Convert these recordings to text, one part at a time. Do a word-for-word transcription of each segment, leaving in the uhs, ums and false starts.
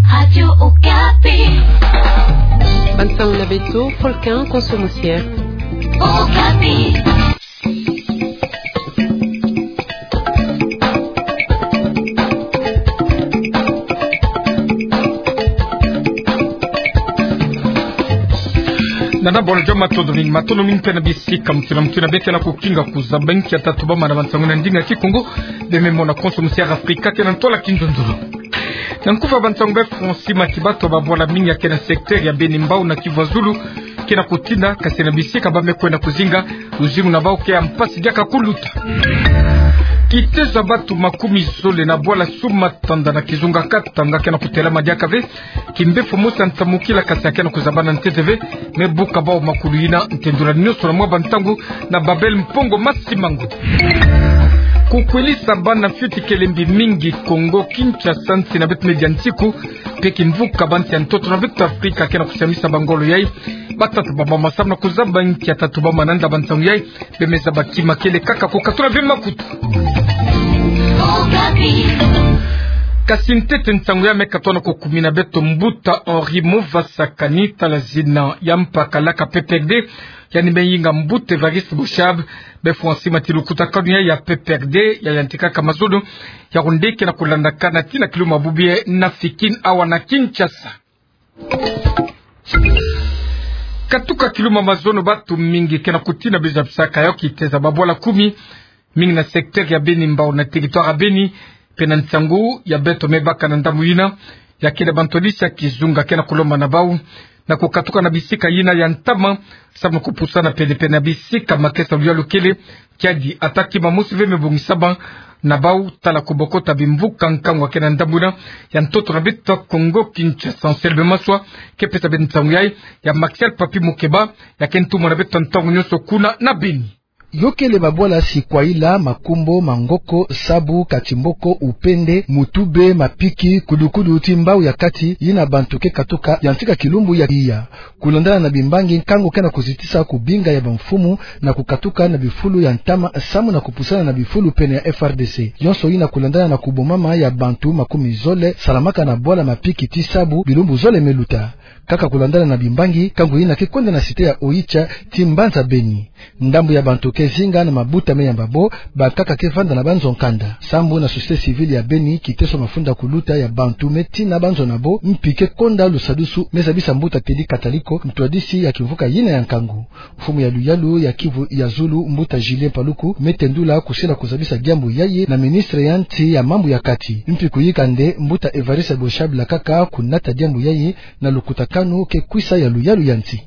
Radio Okapi. Bansango na beto, Volcan Konso Musiere. Okapi. Nana bole joma, matondo mingi, matondo mingi mpe na bisika mutuna mutuna beke na kukinga kuzaba nki ya tatu bamana bansango na ndinga Kikongo. Bememona Konso Musiere Afrika ke na ntwala kinzonzolo. Na nkufa bansango, be Francis Matiba, bato babwala mingi ya ke na secteur ya Beni, Mbao na Kivu ya Zulu ke na kutinda, kasi na bisika ba me kwenda kuzinga, luzingu na bau ke ya mpasi diaka kuluta. Kitezo ya bato makumi zole na bwala Sous-Matanda na kizunga Katanga ke na kutelama diaka ve. Kimbevo mosi ya nsamukila kasi ya ke na kuzabana ntete ve, me buka bau makulu yina. Ntendula nyonso na mwa bantangu na Babel Mpongo Masimango. Kukwelisa bana fioti kelembi mingi Kongo Kinshasa, nsi na beto Media Nsiku, mpe kimvuka bansi ya ntoto na beto Afrika ke na kusiamisa bangolo yai. Batata bamama, samu na kuzaba nki ya tatu bamana nda bansango yai, bemeza bakima kele kaka kukatula ve makutu. Kasi ntete nsango ya me katona kukumina beto, mbuta Henri Movasakani, tala zina ya mpakalaka P P R D, yandi me yinga mbuta Évariste Boshab. Be Francis Matiba, lukutakanu ya, ya P P R D ya yantikaka mazono ya Yaoundé ke na kulandakana tii na kilumbu bubu ye na Fikin, awa na Kinshasa. Katuka kilumbu mazono, bato mingi ke na kutina biza bisaka yo kitezo ya babwala kumi, mingi na secteur ya Beni, Mbao na territoire ya Beni. Mpe na nsangu ya beto me baka na ndambu yina, ya kele bantwadisi ya kizunga ke na kulomba na bau na kukatuka na bisika yina ya ntama, samu na kupusana pene-pene na bisika makesa luyalu kele. Kiadi ata kima mosi ve me bongisama na bau, tala kubokota bimvuka nkangu ya ke na ndambu yina ya ntoto na beto Kongo Kinshasa. Anselme Maswa ke pesa beto nsangu yai, ya Martial Papi Mukeba ya ke ntumwa na beto ntangu nyonso kuna na Beni. Yo kele babwala Sikwaila, Makumbo, Mangoko, Sabu, Katimboko, Upende, Mutube, Mapiki, Kudukudu tii Mbao ya Kati, yina bantu ke katuka yantika kilumbu ya iya. Kulandana na bimbangi, nkangu ke na kuzitisa kubinga ya bamfumu na kukatuka na bifulu ya ntama samu na kupusana na bifulu pene ya F R D C. Yonso yina kulandana na kubomama ya bantu makumi zole salamaka na bwala Mapiki tii Sabu bilumbu zole me luta. Kaka kulandana na bimbangi, nkangu yina ke kwenda na cité ya Oicha tii mbanza Beni. Ndambu ya bantu ke zinga na mabuta me yamba bo, bankaka ke vanda na banzo nkanda. Sambu na société civile ya Beni, kiteso mafunda kuluta ya bantu me tina banzo na bo, mpi ke konda lusadusu, me zabisa mbuta Teddy Kataliko, ntwadisi ya kimvuka yina ya nkangu. Mfumu ya luyalu ya Kivu ya Zulu, mbuta Julien Paluku, me tendula kusila kuzabisa diambu yayi na ministre ya nsi ya mambu ya kati. Mpi kuyika nde, mbuta Évariste Boshab lakaka kunata diambu yayi na lukutakanu ke kwisa ya luyalu ya nsi.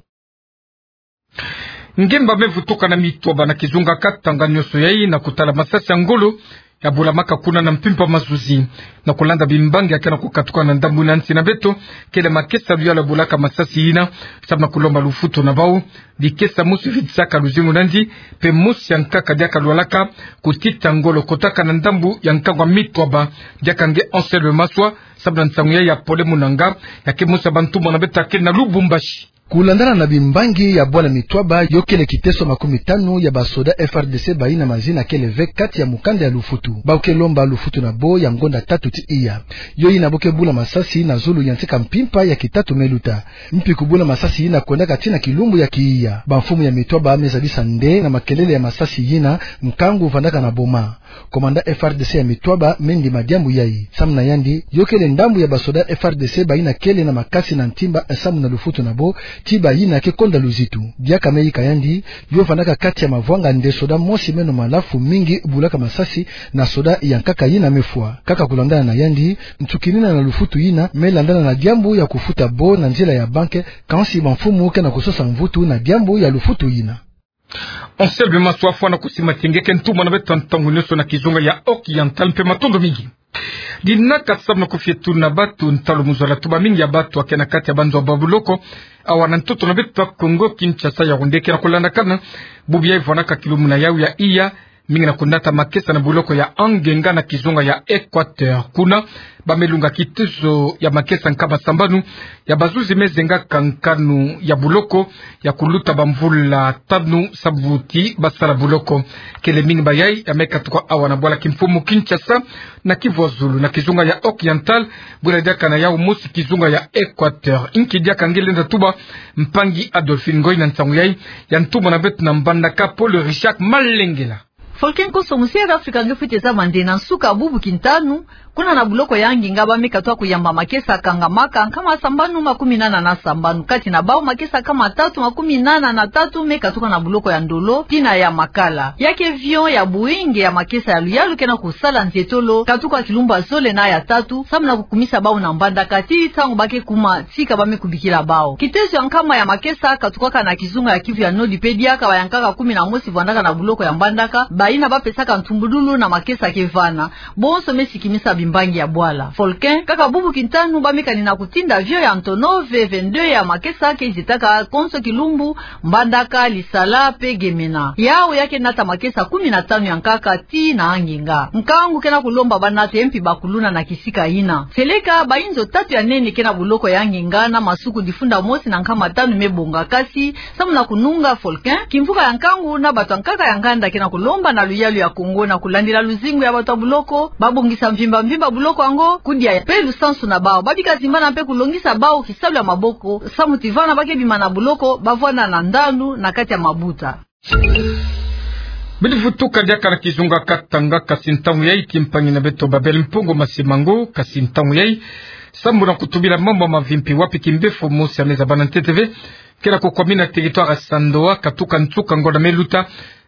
Ngemba me vutuka na Mitwaba na kizunga Katanga, nyonso yayi na kutala masasi ya ngolo ya bulamaka kuna na mpimpa mazuzi. Na kulanda bimbangi ya ke na kukatuka na ndambu yina nsi na beto, kele makesa luyalu ya bulaka masasi yina, samu na kulomba lufutu na bau. Dikesa mosi vitisaka luzingu na yandi, mpe mosi ya nkaka diaka lwalaka kutita ngolo kotaka na ndambu ya nkangu ya Mitwaba, diaka nge Anselme Maswa, samu na nsangu ya ya Pole Munanga, ya ke mosi ya bantumwa na beto ya ke na Lubumbashi. Kulandana na bimbangi, ya bwala Mitwaba yo kele kiteso makumi tanu ya basoda F R D C bayina mazina kele ve kati ya mukanda ya lufutu. Bau ke lomba lufutu na bo ya ngonda tatu tii iya. Yo yina bo ke bula masasi na zulu ya ntika mpimpa ya kitatu me luta. Mpi kubula masasi yina kwendaka tii na kilumbu ya kiiya. Bamfumu ya Mitwaba me zabisa nde na makelele ya masasi yina, nkangu vandaka na boma. Komanda F R D C ya Mitwaba me ndima diambu yayi. Samu na yandi, yo kele ndambu ya basoda F R D C bayina kele na makasi na ntimba samu na lufutu na bo, tii bayina ke konda luzitu. Diaka me yika yandi, yo vandaka kati ya mavwanga nde soda mosi meno malafu mingi bulaka masasi na soda ya nkaka yina me fwa. Kaka kulandana na yandi, nsukinina na lufutu yina me landana na diambu ya kufuta bo na nzila ya banke, kansi bamfumu ke na kusosa mvutu na diambu ya lufutu yina. Anselme Maswa, fwana kusimatisa nge ke ntumwa na beto ntangu nyonso na kizunga ya Oriental, mpe matondo mingi. Dinaka samu na kufietuna bato ntalu mu zola, tuba mingi ya bato ya ke na kati ya banzo ya babuloko, awa na ntoto na beto Kongo Kinshasa, Yaoundé, ke na kulandakana bubu yayi vandaka kilumbu na yawu ya iya, mingi na kunata makesa na buloko ya Angenga na kizunga ya Equateur. Kuna, ba me lunga kitezo ya makesa nkama sambanu ya bazuzi me zengaka nkanu ya buloko ya kuluta bamvula tanu sabuti basala buloko. Kele mingi mayai ya me katuka awa na bwala kimfumu Kinshasa, na Kivu ya Zulu, na kizunga ya Oriental, bwela diaka na yau mosi kizunga ya Equateur. Inki diaka nge lenda tuba, mpangi Adolphine Ngoy, na nsangu yai ya ntumwa na beto na Mbandaka Paul Richard Malengela. Volcan Koso, musi ya Afrika nge fwete zaba nde na nsuka bubu kintanu, kuna na buloko ya Angenga ba me katuka kuyamba makesa kangamaka nkama sambanu makumi nana na sambanu, kati na bau makesa nkama tatu makumi nana na tatu me katuka na buloko ya Ndolo tii na ya Makala. Ya ke avion ya Boeing ya makesa ya luyalu ke na kusala nzietolo katuka kilumbu ya zole na ya tatu, samu na kukumisa bau na Mbandaka tii ntangu ba ke kuma tika ba me kubikila bau. Kitezo ya nkama ya makesa katukaka na kizunga ya Kivu ya Nord mpe diaka bayankaka kumi na mosi vwandaka na buloko ya Mbandaka, bayina ba pesaka ntumbululu na makesa ke vana. Bonso me sikimisa bimbangi ya bwala. Volcan, kaka bubu kintanu ba me kani na kutinda avion ya Antonov vingt-deux ya makesa ke zietaka konso kilumbu, Mbandaka, Lisala mpe Gemena. Yau ya ke nata makesa kumi na tanu ya nkaka tii na Angenga. Nkangu ke na kulomba ba nata ye mpi bakuluna na kisika yina. Seleka, ba inzo tatu ya nene ke na buloko ya Angenga na masuku difunda mosi na nkama tanu me bonga, kasi samu na kununga volcan, kimvuka ya nkangu na bato ya nkaka ya nganda ke na kulomba na luyalu ya Kongo na kulandila luzingu ya bato ya buloko, ba bongisa mvimba mvimba buloko yango, kudia mpe lusansu na bau. Ba bika zimbana mpe kulongisa bau kisalu ya maboko, samu ti vana ba ke bima na buloko, ba vwanda na ndandu na kati ya mabuta. Bidi vutuka diaka na kizunga Katanga, kasi ntangu yai, kimpangi na beto Babel Mpongo Masimango, kasi ntangu yai, samu na kutubila mambu ya mavimpi, wapi kimpefo mosi ya me zabana ntete ve ke na kukwamina territoire ya Sandoa, katuka nsuka ngonda me luta,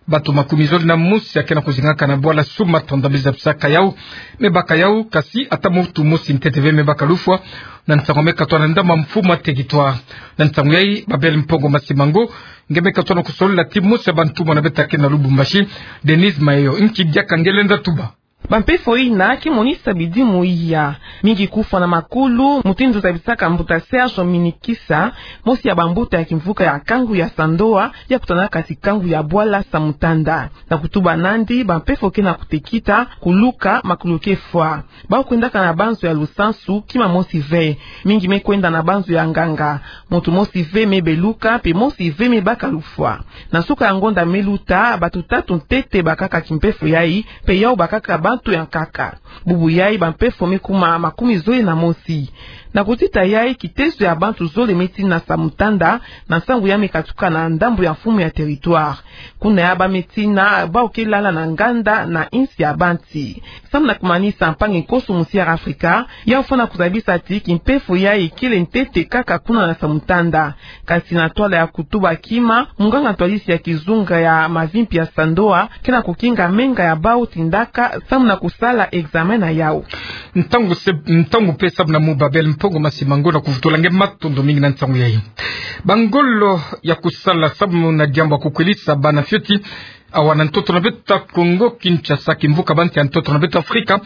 bato makumi zole na mosi ya ke na kuzingaka na bwala Sumatra nda me zabisaka yau, me baka yau, kasi ata muntu mosi ntete ve me baka lufwa, na nsangu me katwa na ndambu ya mfumu ya territoire. Na nsangu yai, Babel Mpongo Masimango, nge me katwa na kusolola ti mosi ya bantumwa na beto ya ke na Lubumbashi, Denise Mayo. Inki diaka nge lenda tuba. Bampefo yina ke monisa bidimu iya. Mingi kufwa na makulu, mutindu zabisaka mbuta Serge Minikisa, mosi ya bambuta ya kimvuka ya nkangu ya Sandoa, ya kutanaka ti nkangu ya bwala Samutanda. Na kutuba nandi, bampefo ke na kutekita, kuluka, makulu ke fwa. Bau kwendaka na banzo ya lusansu, kima mosi ve. Mingi me kwenda na banzo ya nganga. Muntu mosi ve me beluka, mpe mosi ve me baka lufwa. Na nsuka ya ngonda me luta, bato tatu ntete bakaka kimpefo yai, mpe yau bakaka bantu ya nkaka. Bubu yai bampefo me kuma makumi zole na mosi. Na kutita yai, kitezo ya bantu zole me tina Samutanda, na nsangu ya me katuka na ndambu ya mfumu ya territoire. Kuna ya ba me tina, bau ke lala na nganda na insi ya bantu. Samu na kumanisa, mpangi nkoso musi ya Afrika, yau fwana kuzabisa ti kimpefo yai kele ntete kaka kuna na Samutanda. Kasi na ntwala ya kutuba kima, munganga ntwadisi ya kizunga ya mavimpi ya Sandoa, ke na kukinga menga ya bau tindaka, samu na kusala examen na yau. Ntangu se, ntangu mpe samu na mu Babel Mpongo Masimango na kuvutula nge matondo mingi na nsangu yai. Bangolo ya kusala samu na diambu ya kukwelisa bana fioti, awa na ntoto na beto ya Kongo Kinshasa, kimvuka bantu ya ntoto na beto Afrika,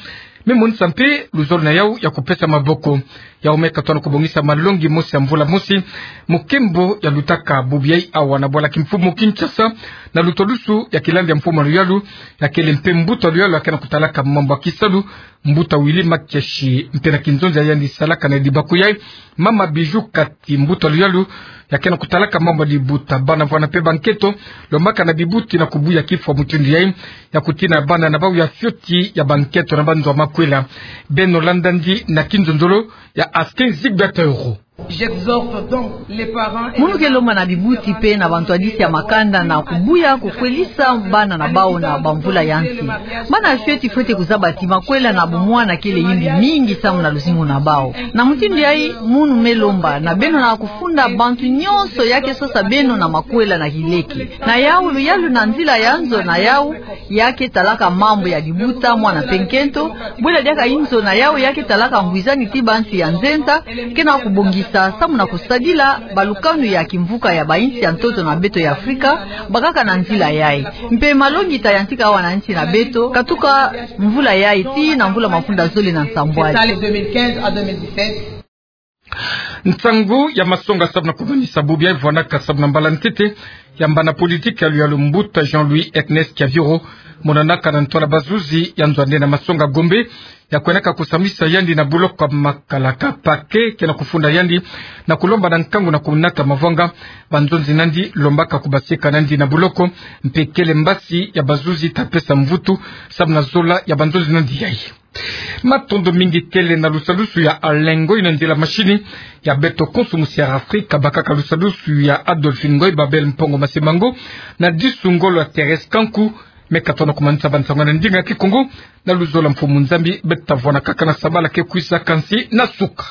me monisa mpe luzolo na yau ya kupesa maboko. Yau me katwa na kubongisa malongi mosi ya mvula mosi, mu nkembo ya lutaka bubu yai awa na bwala kimfumu Kinshasa, na lutwadusu ya kilandi ya mfumu ya luyalu, ya kele mpe mbuta ya luyalu ya ke na kutalaka mambu ya kisalu, mbuta Willy Makiashi, mpe na kinzonzi ya yandi salaka na dibaku yai, mama Bijou Kati, mbuta ya luyalu ya ke na kutalaka mambu ya dibuta, bana vwanda mpe banketo, lombaka na bibuti na kubuya kifwa mutindu yai, ya kutina bana na bau ya fioti ya banketo na banzo ya makwela. Beno landa ndi na kinzonzolo ya Askin Zigbert Euro. J'exhorte donc les parents et... Munu ke lomba na bibuti mpe na bantwadisi ya makanda na kubuya kukwelisa bana na bau na bamvula ya nsi. Bana fioti fwete kuzaba ti makwela na bumwana kele yimbi mingi samu na luzingu na bau. Na mutindu yai, munu me lomba na beno na kufunda bantu nyonso ya ke sosa beno na makwela na kileke. Na yau, luyalu na nzila ya nzo na yau ya ke talaka mambu ya dibuta, mwana mpe nkento, bwela diaka inzo na yau ya ke talaka ngwizani ti bantu ya nzenza, ke na kubongisa samu na kusadila balukanu ya kimvuka ya bainsi ya ntoto na beto ya Afrika, bakaka na nzila yai. Mpe malongi ta yantika awa na nsi na beto, katuka mvula yai tii na mvula mafunda zole na nsambwadi. C'est ça, les deux mille quinze à deux mille dix-sept. Nsangu ya masonga samu na kumanisa bubu ya vwanaka samu na mbala ntete ya mbana politiki ya luyalu mbuta Jean-Louis Ernest Kiaviro, monanaka na ntwala bazuzi ya nzwande na masonga Gombe, ya kwenaka kusamisa yandi na boloko ya makalaka parquet, ke na kufunda yandi na kulomba na nkangu na kunata mavwanga banzonzi nandi lombaka kubasika nandi na boloko, mpe kele mbasi ya bazuzi ta pesa mvutu samu na zola ya banzonzi nandi yayi. Matondo mingi kele na lusalusu ya Alain Ngoy na nzila mashini, ya beto konso musi ya Afrika bakaka lusalusu ya Adolphine Ngoy, Babel Mpongo Masemango, na disu ngolo ya Thérèse Kanku. Meka tona kumanisa bansangu na ndinga ya Kikongo, na luzolo ya Mfumu Nzambi, beta vwanakaka na sabala ke kwisa kansi na suka.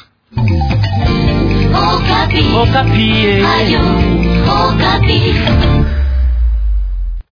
Okapi. Okapi, eh. Radio Okapi.